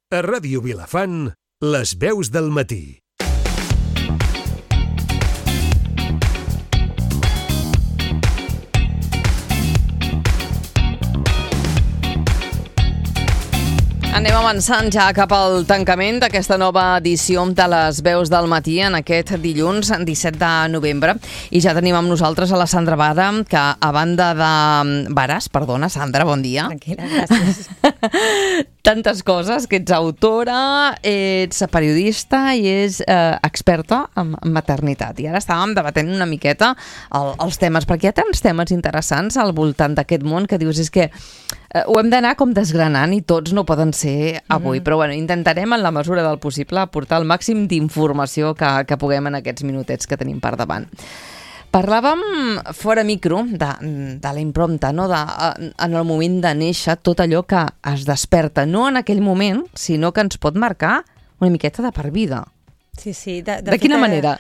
A Ràdio Vilafant, les veus del matí. Anem avançant ja cap al tancament d'aquesta nova edició de les veus del matí en aquest dilluns 17 de novembre. I ja tenim amb nosaltres a la Sandra Vara, que a banda de... Varas, perdona, Sandra, bon dia. Tranquil·la, gràcies. Tantes coses, que ets autora, ets periodista i ets experta en maternitat. I ara estàvem debatent una miqueta els temes, perquè hi ha tants temes interessants al voltant d'aquest món que dius, és que ho hem d'anar com desgranant i tots no poden ser avui, però bueno, intentarem en la mesura del possible aportar el màxim d'informació que puguem en aquests minutets que tenim per davant. Parlàvem fora micro de la imprompta, no? En el moment de néixer, tot allò que es desperta, no en aquell moment, sinó que ens pot marcar una miqueta de per vida. Sí, sí. De quina manera?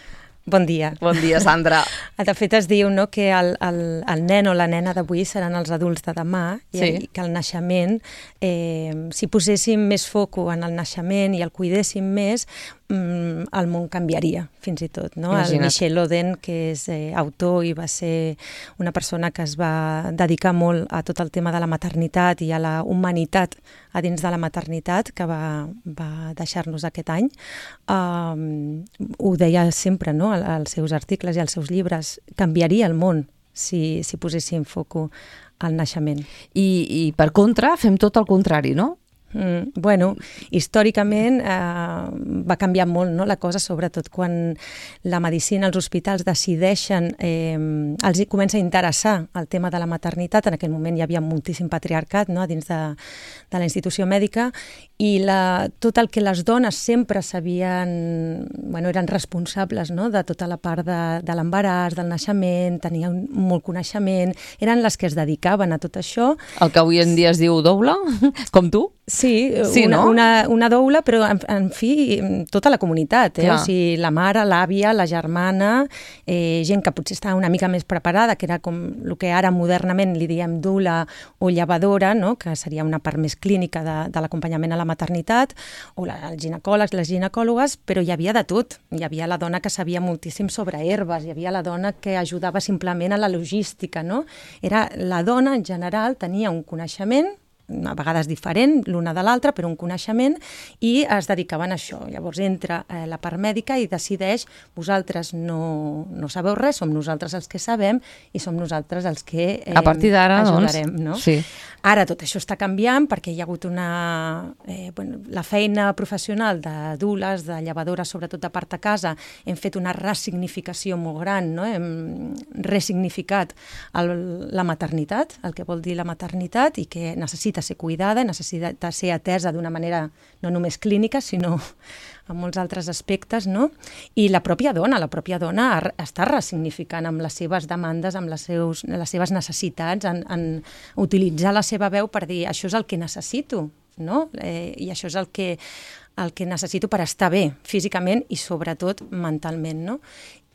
Bon dia. Bon dia, Sandra. De fet, es diu, no, que el nen o la nena d'avui seran els adults de demà, sí. I que el naixement, si poséssim més foco en el naixement i el cuidéssim més, el món canviaria, fins i tot. No? El Michel Oden, que és autor i va ser una persona que es va dedicar molt a tot el tema de la maternitat i a la humanitat a dins de la maternitat, que va deixar-nos aquest any, ho deia sempre, no? Als seus articles i als seus llibres, canviaria el món si poséssim foco al naixement. I per contra, fem tot el contrari, no? Bueno, històricament va canviar molt, no, la cosa, sobretot quan la medicina, els hospitals decideixen, els comença a interessar el tema de la maternitat. En aquell moment hi havia moltíssim patriarcat, no, dins de la institució mèdica, i tot el que les dones sempre sabien, bueno, eren responsables, no, de tota la part de l'embaràs, del naixement, tenien molt coneixement, eren les que es dedicaven a tot això. El que avui en dia es diu doula, com tu? Sí, no? una doula, però en fi, tota la comunitat, Clar. O sigui, la mare, l'àvia, la germana, gent que potser estava una mica més preparada, que era com el que ara modernament li diem doula o llevadora, no? Que seria una part més clínica de l'acompanyament a la maternitat, o els ginecòlegs, les ginecòlogues, però hi havia de tot. Hi havia la dona que sabia moltíssim sobre herbes, hi havia la dona que ajudava simplement a la logística, no? La dona, en general, tenia un coneixement, a vegades diferent l'una de l'altra, però un coneixement, i es dedicaven a això. Llavors entra la part mèdica i decideix, vosaltres no sabeu res, som nosaltres els que sabem i som nosaltres els que a partir d'ara, ajudarem. Doncs, no? Sí. Ara tot això està canviant perquè hi ha hagut la feina professional de doules, de llevadores, sobretot de part a casa, hem fet una ressignificació molt gran, no? Hem ressignificat la maternitat, el que vol dir la maternitat, i que necessita ser cuidada, necessita ser atesa d'una manera no només clínica, sinó en molts altres aspectes, no? I la pròpia dona està ressignificant amb les seves demandes, amb les seves necessitats, en utilitzar la seva veu per dir això és el que necessito, no? I això és el que necessito per estar bé físicament i sobretot mentalment, no?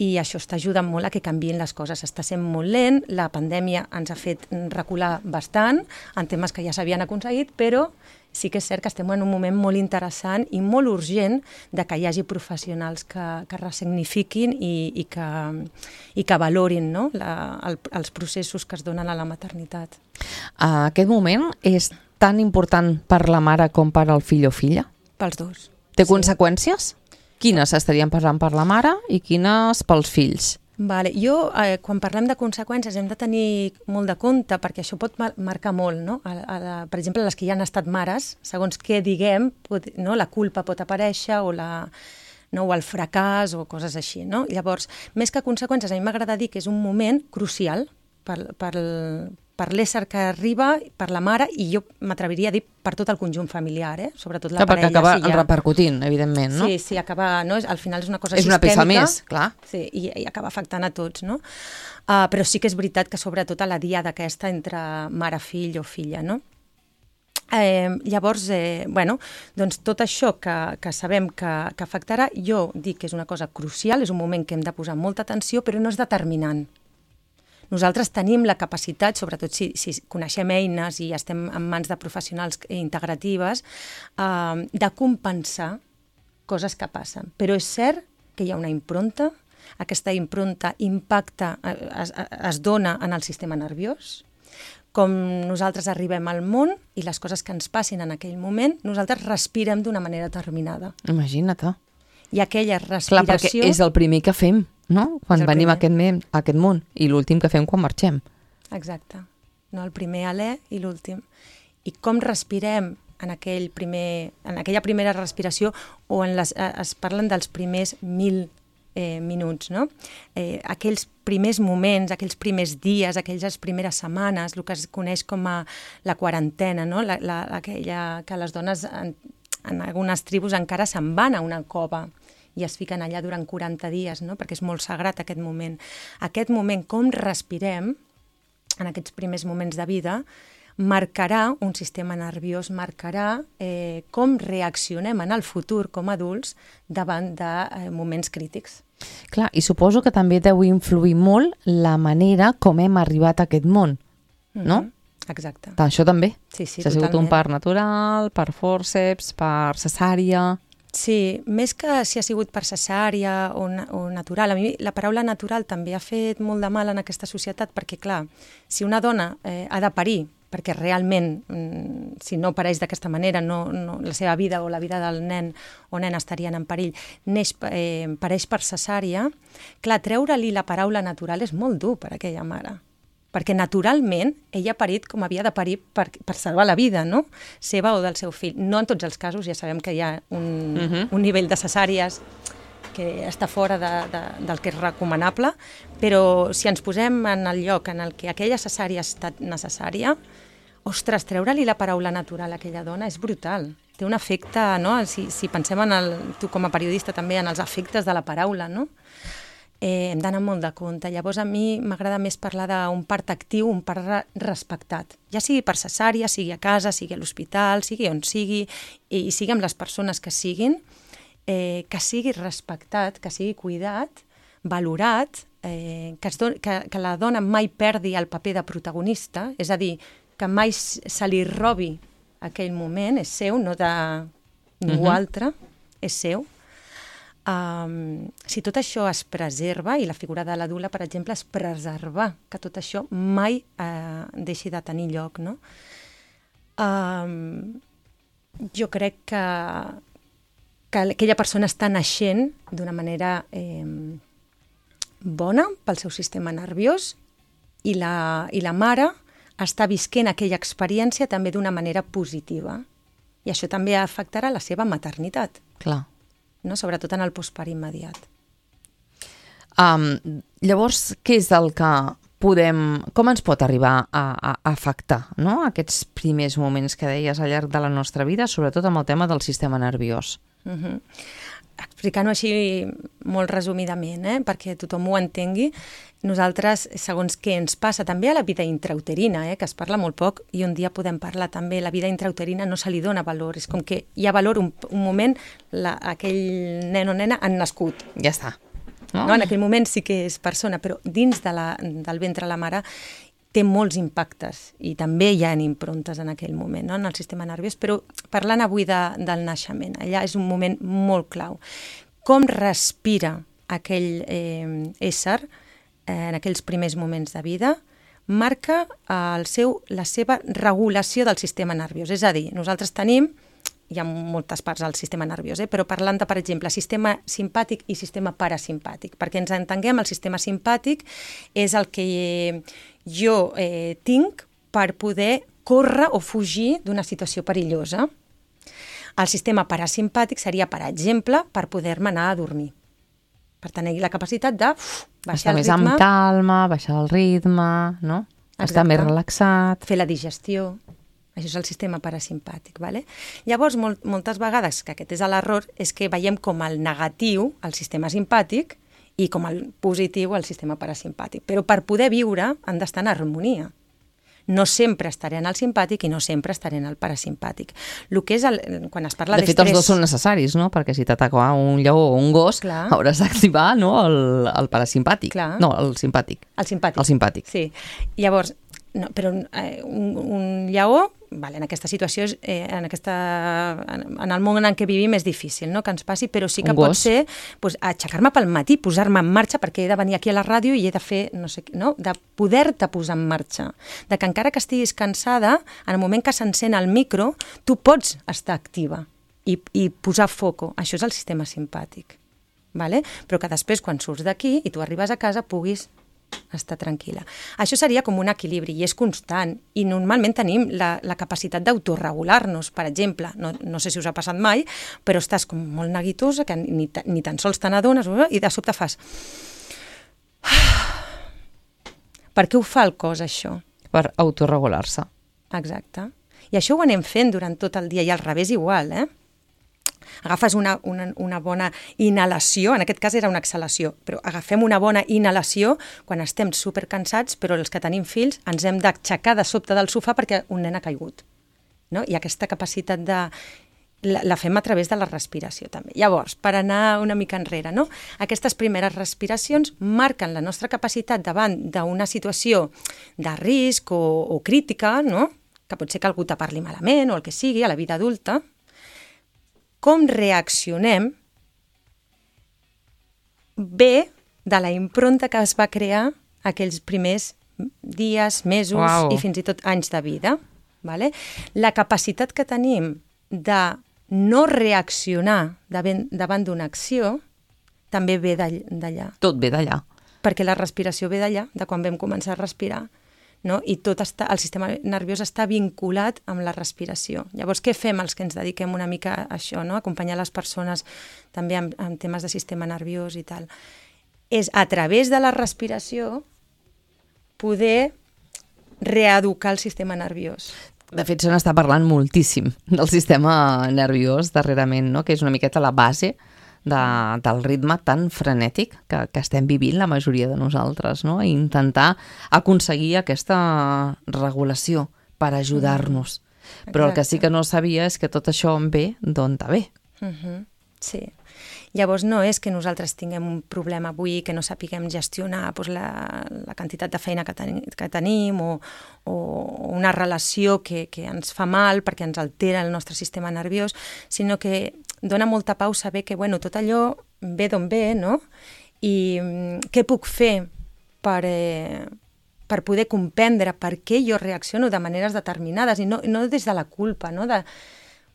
I això està ajudant molt a que canviïn les coses. Està sent molt lent, la pandèmia ens ha fet recular bastant en temes que ja s'havien aconseguit, però sí que és cert que estem en un moment molt interessant i molt urgent de que hi hagi professionals que ressignifiquin i que valorin, no? Els processos que es donen a la maternitat. Aquest moment és tan important per la mare com per al fill o filla? Pels dos. Té conseqüències? Quines estarien passant per la mare i quines pels fills? Vale. Jo, quan parlem de conseqüències, hem de tenir molt de compte, perquè això pot marcar molt, no? Per exemple, les que ja han estat mares, segons què diguem, no? La culpa pot aparèixer o el fracàs o coses així, no? Llavors, més que conseqüències, a mi m'agrada dir que és un moment crucial per l'ésser que arriba, per la mare, i jo m'atreviria a dir per tot el conjunt familiar, sobretot la parella. Perquè acaba repercutint, evidentment, no? Sí, acaba, no? Al final és una cosa sistèmica. És una peça més, clar. Sí, i acaba afectant a tots, no? Però sí que és veritat que sobretot a la diada aquesta entre mare-fill o filla, no? Llavors, doncs tot això que sabem que afectarà, jo dic que és una cosa crucial, és un moment que hem de posar molta atenció, però no és determinant. Nosaltres tenim la capacitat, sobretot si coneixem eines i estem en mans de professionals integratives, de compensar coses que passen. Però és cert que hi ha una impronta, aquesta impronta impacta, es dona en el sistema nerviós, com nosaltres arribem al món i les coses que ens passin en aquell moment, nosaltres respirem d'una manera determinada. Imagina't. I aquella respiració... Clar, perquè és el primer que fem, no? Quan venim a aquest món, i l'últim que fem quan marxem. Exacte. No, el primer alè i l'últim. I com respirem en aquella primera respiració, o es parlen dels primers 1000 minuts, no? Aquells primers moments, aquells primers dies, aquelles primeres setmanes, el que es coneix com a la quarantena, no? Aquella que les dones en algunes tribus encara se'n van a una cova i es fiquen allà durant 40 dies, no? Perquè és molt sagrat aquest moment. Aquest moment, com respirem en aquests primers moments de vida, marcarà un sistema nerviós, marcarà com reaccionem en el futur com a adults davant de moments crítics. Clar, i suposo que també deu influir molt la manera com hem arribat a aquest món, no? Exacte. Això també? Sí, ha sigut un part natural, per fòrceps, per cesària... Sí, més que si ha sigut per cesària o natural. A mi la paraula natural també ha fet molt de mal en aquesta societat perquè, clar, si una dona ha de parir, perquè realment, si no pareix d'aquesta manera, la seva vida o la vida del nen o nena estarien en perill, pareix per cesària, clar, treure-li la paraula natural és molt dur per a aquella mare. Perquè naturalment ella ha parit com havia de parir per salvar la vida, no? Seva o del seu fill. No en tots els casos, ja sabem que hi ha un nivell de cesàries que està fora del que és recomanable, però si ens posem en el lloc en el que aquella cesària ha estat necessària, ostres, treure-li la paraula natural a aquella dona és brutal. Té un efecte, no? Si pensem tu com a periodista també, en els efectes de la paraula, no? Hem d'anar molt de compte. Llavors a mi m'agrada més parlar d'un part actiu, un part respectat. Ja sigui per cesària, sigui a casa, sigui a l'hospital, sigui on sigui, i sigui amb les persones que siguin, que sigui respectat, que sigui cuidat, valorat, que la dona mai perdi el paper de protagonista, és a dir, que mai se li robi aquell moment, és seu, no de ningú altre, és seu. Si tot això es preserva, i la figura de la dula, per exemple, es preservar, que tot això mai deixi de tenir lloc, no? Jo crec que aquella persona està naixent d'una manera bona pel seu sistema nerviós i la mare està visquent aquella experiència també d'una manera positiva. I això també afectarà la seva maternitat. Clar. No? Sobretot en el postpart immediat. Llavors, què és el que com ens pot arribar a afectar, no? Aquests primers moments que deies al llarg de la nostra vida, sobretot amb el tema del sistema nerviós? Explicant-ho així molt resumidament, perquè tothom ho entengui, nosaltres, segons què ens passa, també a la vida intrauterina, que es parla molt poc, i un dia podem parlar també, la vida intrauterina no se li dona valor, és com que hi ha valor un moment, aquell nen o nena han nascut. Ja està. No? En aquell moment sí que és persona, però dins del ventre de la mare té molts impactes i també hi ha improntes en aquell moment, no? En el sistema nerviós, però parlant avui del naixement, allà és un moment molt clau. Com respira aquell ésser en aquells primers moments de vida marca la seva regulació del sistema nerviós. És a dir, nosaltres tenim, hi ha moltes parts del sistema nerviós, però parlant de, per exemple, sistema simpàtic i sistema parasimpàtic. Perquè ens entenguem, el sistema simpàtic és el que jo tinc per poder córrer o fugir d'una situació perillosa. El sistema parasimpàtic seria, per exemple, per poder-me anar a dormir. Per tenir la capacitat de baixar el ritme. Estar més amb calma, baixar el ritme, no? Estar més relaxat. Fer la digestió. Això és el sistema parasimpàtic. ¿Vale? Llavors, moltes vegades, que aquest és l'error, és que veiem com el negatiu, el sistema simpàtic, i com el positiu, el sistema parasimpàtic. Però per poder viure han d'estar en harmonia. No sempre estaré en el simpàtic i no sempre estaré en el parasimpàtic. El que és quan es parla de fet, els dos són necessaris, no? Perquè si t'ataca un lleó o un gos, hauràs d'activar, no, el parasimpàtic. Clar. No, el simpàtic. El simpàtic. El simpàtic. Sí. Llavors, no, però un lleó, vale, en aquesta situació, en el món en què vivim és difícil, no?, que ens passi, però sí que pot ser pues, aixecar-me pel matí, posar-me en marxa, perquè he de venir aquí a la ràdio i he de fer, no sé, no?, de poder-te posar en marxa, de que encara que estiguis cansada, en el moment que s'encén el micro, tu pots estar activa i posar foco. Això és el sistema simpàtic, vale? Però que després, quan surts d'aquí i tu arribes a casa, puguis estar tranquil·la. Això seria com un equilibri i és constant i normalment tenim la capacitat d'autorregular-nos, per exemple, no sé si us ha passat mai, però estàs com molt neguitosa que ni tan sols te n'adones i de sobte fas per què ho fa el cos això? Per autorregular-se. Exacte. I això ho anem fent durant tot el dia i al revés igual, Agafes una bona inhalació, en aquest cas era una exhalació, però agafem una bona inhalació quan estem supercansats, però els que tenim fills ens hem d'aixecar de sobte del sofà perquè un nen ha caigut. No? I aquesta capacitat la fem a través de la respiració també. Llavors, per anar una mica enrere, no? Aquestes primeres respiracions marquen la nostra capacitat davant d'una situació de risc o crítica, no? Que pot ser que algú te parli malament o el que sigui a la vida adulta. Com reaccionem ve de la impronta que es va crear aquells primers dies, mesos i fins i tot anys de vida. Vale? La capacitat que tenim de no reaccionar davant d'una acció també ve d'allà. Tot ve d'allà. Perquè la respiració ve d'allà, de quan vam començar a respirar. No? I el sistema nerviós està vinculat amb la respiració. Llavors, què fem els que ens dediquem una mica a això, no? Acompanyar les persones també en temes de sistema nerviós i tal? És a través de la respiració poder reeducar el sistema nerviós. De fet, se n'està parlant moltíssim del sistema nerviós darrerament, no? Que és una miqueta la base del ritme tan frenètic que estem vivint la majoria de nosaltres, no? I intentar aconseguir aquesta regulació per ajudar-nos. Però el que sí que no sabia és que tot això en ve d'on ve. Sí. Llavors no és que nosaltres tinguem un problema avui que no sapiguem gestionar la quantitat de feina que tenim o una relació que ens fa mal perquè ens altera el nostre sistema nerviós, sinó que dona molta pau saber que tot allò ve d'on ve, no? I què puc fer per poder comprendre per què jo reacciono de maneres determinades i no des de la culpa, no?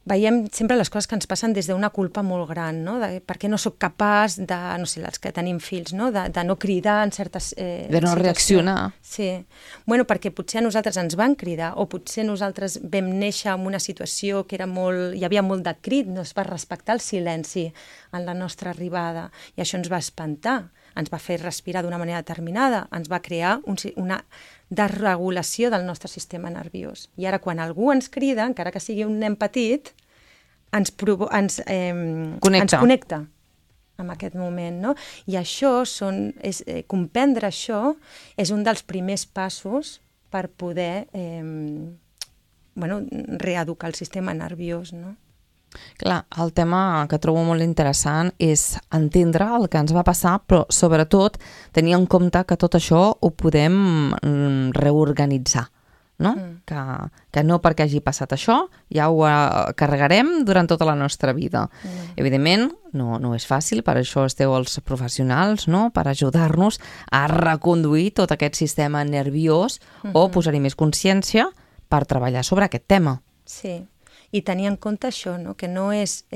Veiem sempre les coses que ens passen des d'una culpa molt gran, no? De per què no sóc capaç de, no sé, els que tenim fills, no? De no cridar en certes de no reaccionar. Sí. Perquè potser a nosaltres ens van cridar o potser nosaltres vam néixer en una situació que hi havia molt de crit, no es va respectar el silenci en la nostra arribada i això ens va espantar, ens va fer respirar d'una manera determinada, ens va crear una desregulació del nostre sistema nerviós. I ara quan algú ens crida, encara que sigui un nen petit, ens connecta amb aquest moment, no? I això comprendre això és un dels primers passos per poder reeducar el sistema nerviós, no? Clar, el tema que trobo molt interessant és entendre el que ens va passar, però sobretot tenir en compte que tot això ho podem reorganitzar, no? Que no perquè hagi passat això ja ho carregarem durant tota la nostra vida. Evidentment, no és fàcil, per això esteu els professionals, no? Per ajudar-nos a reconduir tot aquest sistema nerviós o posar-hi més consciència per treballar sobre aquest tema. Sí. I tenir en compte això, no? Que no és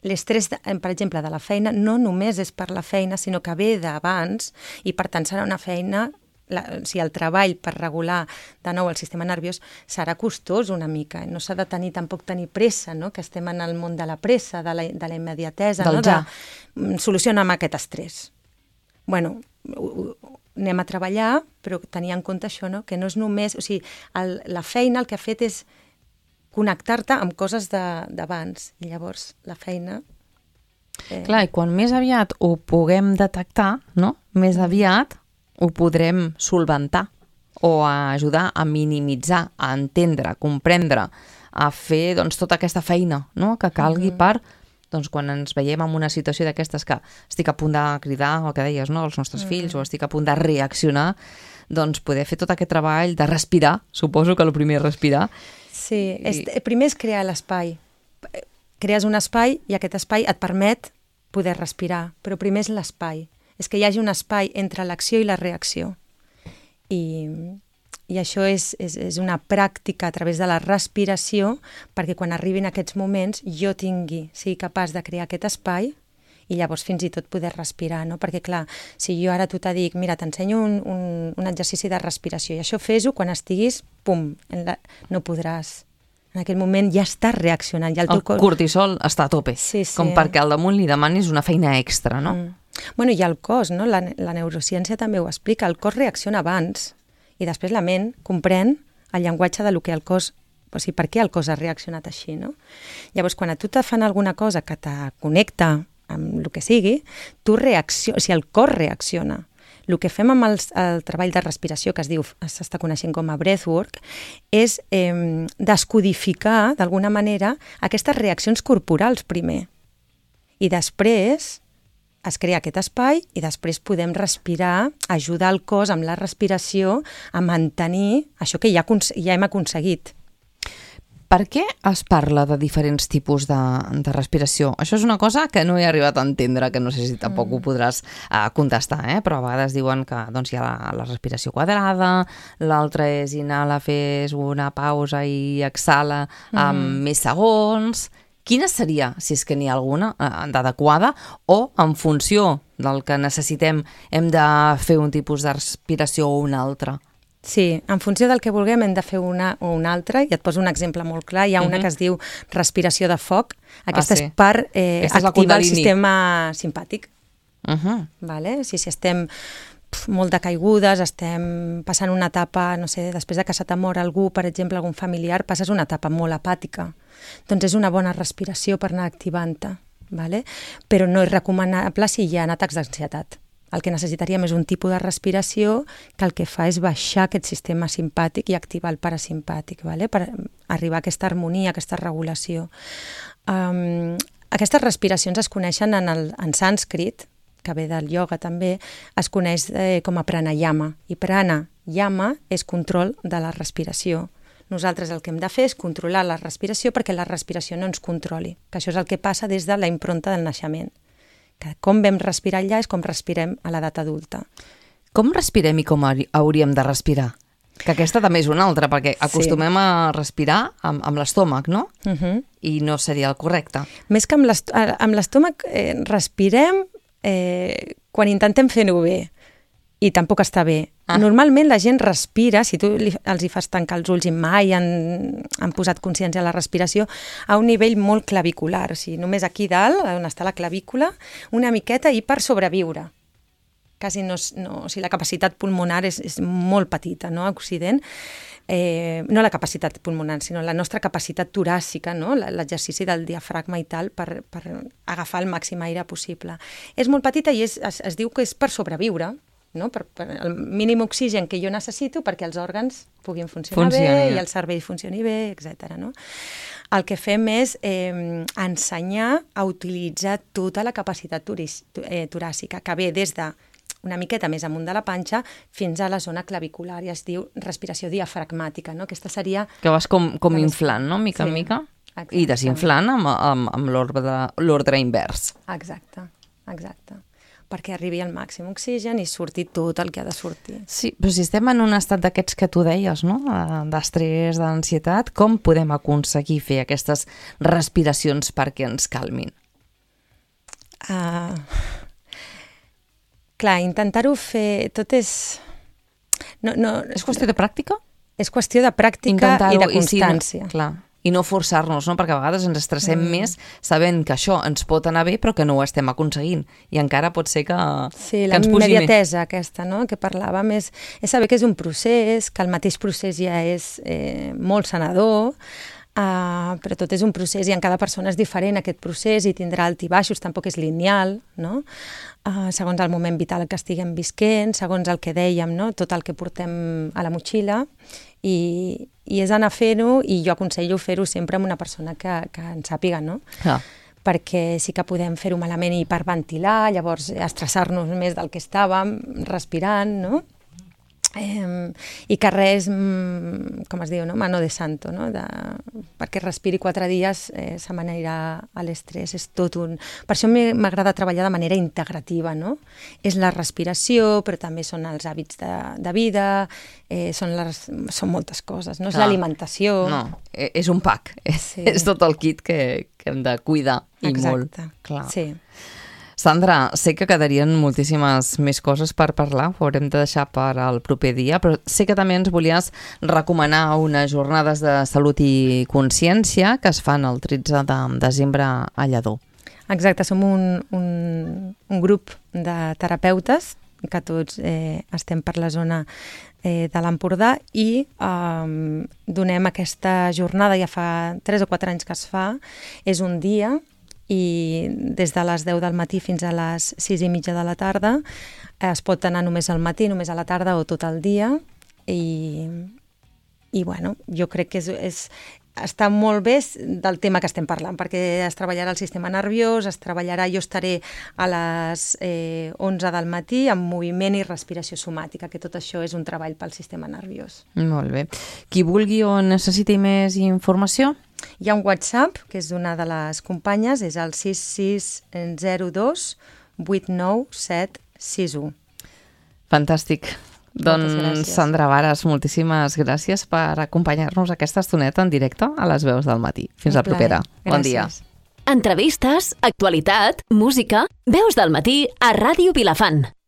l'estrès, per exemple, de la feina, no només és per la feina, sinó que ve d'abans i per tant serà una feina, el treball per regular de nou el sistema nerviós serà costós una mica, no s'ha de tampoc tenir pressa, no? Que estem en el món de la pressa, de la immediatesa, no? Solucionar aquest estrès. Anem a treballar, però tenir en compte això, no? Que no és només, o sigui, la feina el que ha fet és connectar-te amb coses d'abans. I llavors la feina... Clar, i quan més aviat ho puguem detectar, no? Més aviat ho podrem solventar o a ajudar a minimitzar, a entendre, a comprendre, a fer doncs, tota aquesta feina, no?, que calgui per, doncs, quan ens veiem en una situació d'aquestes que estic a punt de cridar, el que deies, no?, als nostres fills, o estic a punt de reaccionar, doncs poder fer tot aquest treball de respirar, suposo que el primer és respirar. Sí, primer és crear l'espai. Crees un espai i aquest espai et permet poder respirar, però primer és l'espai. És que hi hagi un espai entre l'acció i la reacció. I això és una pràctica a través de la respiració perquè quan arribin aquests moments jo sigui capaç de crear aquest espai i llavors fins i tot poder respirar, no? Perquè clar, si jo ara tu te dic, mira, t'ensenyo un exercici de respiració i això fes-ho quan estiguis, pum, no podràs. En aquell moment ja estàs reaccionant. Ja el cortisol està a tope, com perquè al damunt li demanis una feina extra, no? Bueno, i el cos, no? La neurociència també ho explica, el cos reacciona abans i després la ment comprèn el llenguatge de lo que el cos, o sigui, per què el cos ha reaccionat així, no? Llavors, quan a tu te fan alguna cosa que te connecta amb el que sigui, tu reacciones, o sigui, el cos reacciona. El que fem amb el treball de respiració, que s'està coneixent com a breathwork, és descodificar, d'alguna manera, aquestes reaccions corporals primer. I després es crea aquest espai i després podem respirar, ajudar el cos amb la respiració a mantenir això que ja hem aconseguit. Per què es parla de diferents tipus de respiració? Això és una cosa que no he arribat a entendre, que no sé si tampoc ho podràs contestar, però a vegades diuen que doncs, hi ha la respiració quadrada, l'altra és inhala, fes una pausa i exhala amb més segons. Quina seria, si és que n'hi ha alguna, d'adequada, o en funció del que necessitem hem de fer un tipus de respiració o una altra? Sí, en funció del que vulguem hem de fer una o una altra, i et poso un exemple molt clar, hi ha una que es diu respiració de foc, aquesta és per activar el sistema simpàtic. Vale? Si estem molt decaigudes, estem passant una etapa, no sé, després de que se t'ha mort algú, per exemple, algun familiar, passes una etapa molt apàtica. Doncs és una bona respiració per anar activant-te, vale? Però no és recomanable si hi ha atacs d'ansietat. El que necessitaríem és un tipus de respiració que el que fa és baixar aquest sistema simpàtic i activar el parasimpàtic, vale? Per arribar a aquesta harmonia, a aquesta regulació. Aquestes respiracions es coneixen en sànscrit, que ve del ioga també, es coneix com a pranayama. I pranayama és control de la respiració. Nosaltres el que hem de fer és controlar la respiració perquè la respiració no ens controli, que això és el que passa des de la impronta del naixement. Que com vam respirar allà és com respirem a l'edat adulta. Com respirem i com hauríem de respirar? Que aquesta també és una altra, perquè acostumem a respirar amb l'estómac, no? I no seria el correcte. Més que amb l'estómac, respirem quan intentem fer-ho bé. I tampoc està bé. Normalment la gent respira, si tu els hi fas tancar els ulls i mai han posat consciència a la respiració, a un nivell molt clavicular. O sigui, només aquí dalt, on està la clavícula, una miqueta i per sobreviure. Quasi no, o sigui, la capacitat pulmonar és molt petita, no?, a Occident. No la capacitat pulmonar, sinó la nostra capacitat toràcica, no?, l'exercici del diafragma i tal, per agafar el màxim aire possible. És molt petita i es diu que és per sobreviure, no? Per el mínim oxigen que jo necessito perquè els òrgans puguin funcionar bé i el cervell funcioni bé, etc. No? El que fem és ensenyar a utilitzar tota la capacitat toràcica, que ve des de una miqueta més amunt de la panxa fins a la zona clavicular, i es diu respiració diafragmàtica, no? Aquesta seria... Que vas com inflant, no?, mica en mica, i desinflant amb l'ordre invers. Exacte. Perquè arribi al màxim oxigen i surti tot el que ha de sortir. Sí, però si estem en un estat d'aquests que tu deies, no?, d'estrès, d'ansietat, com podem aconseguir fer aquestes respiracions perquè ens calmin? Clar, intentar-ho fer... Tot és... És qüestió de pràctica? És qüestió de pràctica i de constància. Clar. I no forçar-nos, no? Perquè a vegades ens estressem més sabent que això ens pot anar bé però que no ho estem aconseguint. I encara pot ser que ens pugi més. Sí, la immediatesa aquesta, no?, que parlàvem, és saber que és un procés, que el mateix procés ja és molt sanador, però tot és un procés i en cada persona és diferent aquest procés i tindrà alt i baixos, tampoc és lineal, no? Segons el moment vital que estiguem visquent, segons el que dèiem, no? Tot el que portem a la motxilla i és anar fent-ho i jo aconsello fer-ho sempre amb una persona que en sàpiga, no? Perquè sí que podem fer-ho malament i hiperventilar, llavors estressar-nos més del que estàvem, respirant, no? I que res, com es diu, no? Mano de santo, no? Perquè respiri 4 dies se m'anirà a l'estrès, és tot un... Per això m'agrada treballar de manera integrativa, no? És la respiració, però també són els hàbits de vida, són moltes coses, no? És l'alimentació... No, és un pack, és tot el kit que hem de cuidar i molt. Exacte, clar. Sí. Sandra, sé que quedarien moltíssimes més coses per parlar, ho haurem de deixar per al proper dia, però sé que també ens volies recomanar unes jornades de salut i consciència que es fan el 13 de desembre a Lledó. Exacte, som un grup de terapeutes que tots estem per la zona de l'Empordà i donem aquesta jornada, ja fa 3 o 4 anys que es fa, és un dia i des de les 10 del matí fins a les 6:30 de la tarda es pot anar només al matí, només a la tarda o tot el dia i bueno, jo crec que està molt bé del tema que estem parlant, perquè es treballarà el sistema nerviós, jo estaré a les 11 del matí amb moviment i respiració somàtica, que tot això és un treball pel sistema nerviós. Molt bé. Qui vulgui o necessiti més informació? Hi ha un WhatsApp, que és d'una de les companyes, és el 6602 89761. Fantàstic. Doncs, Sandra Varas, moltíssimes gràcies per acompanyar-nos aquesta estoneta en directe a les veus del matí. Fins la propera. Bon dia. Entrevistes, actualitat, música, Veus del Matí a Ràdio Vilafant.